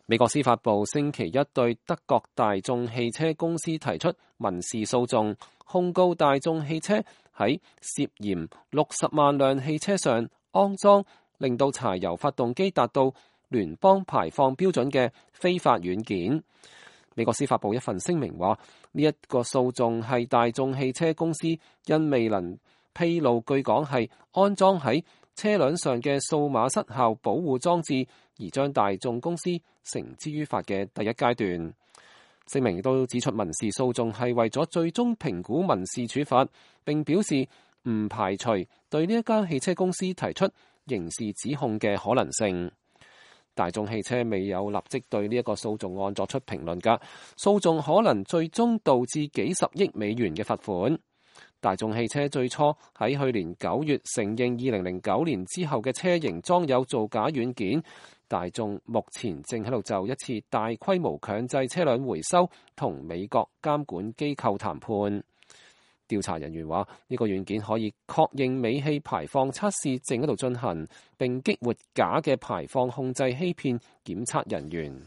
美國司法部星期一對德國大眾汽車公司提出民事訴訟，控告大眾汽車喺涉嫌60萬輛汽車上安裝令到柴油發動機達到聯邦排放標準嘅非法軟件。美國司法部一份聲明話，呢一個訴訟係大眾汽車公司因未能披露據講係安裝喺車輛上嘅數碼失效保護裝置，而將大眾公司繩之於法嘅第一階段。聲明亦都指出，民事訴訟係為咗最終評估民事處罰，並表示唔排除對呢一間汽車公司提出刑事指控嘅可能性。大眾汽車未有立即對呢一個訴訟案作出評論㗎，訴訟可能最終導致幾十億美元嘅罰款。大眾汽車最初喺去年9月承認2009年之後嘅車型裝有造假軟件。大眾目前正喺度就一次大規模強制車輛回收同美國監管機構談判。調查人員話，呢個軟件可以確認尾氣排放測試正喺度進行，並激活假嘅排放控制欺騙檢測人員。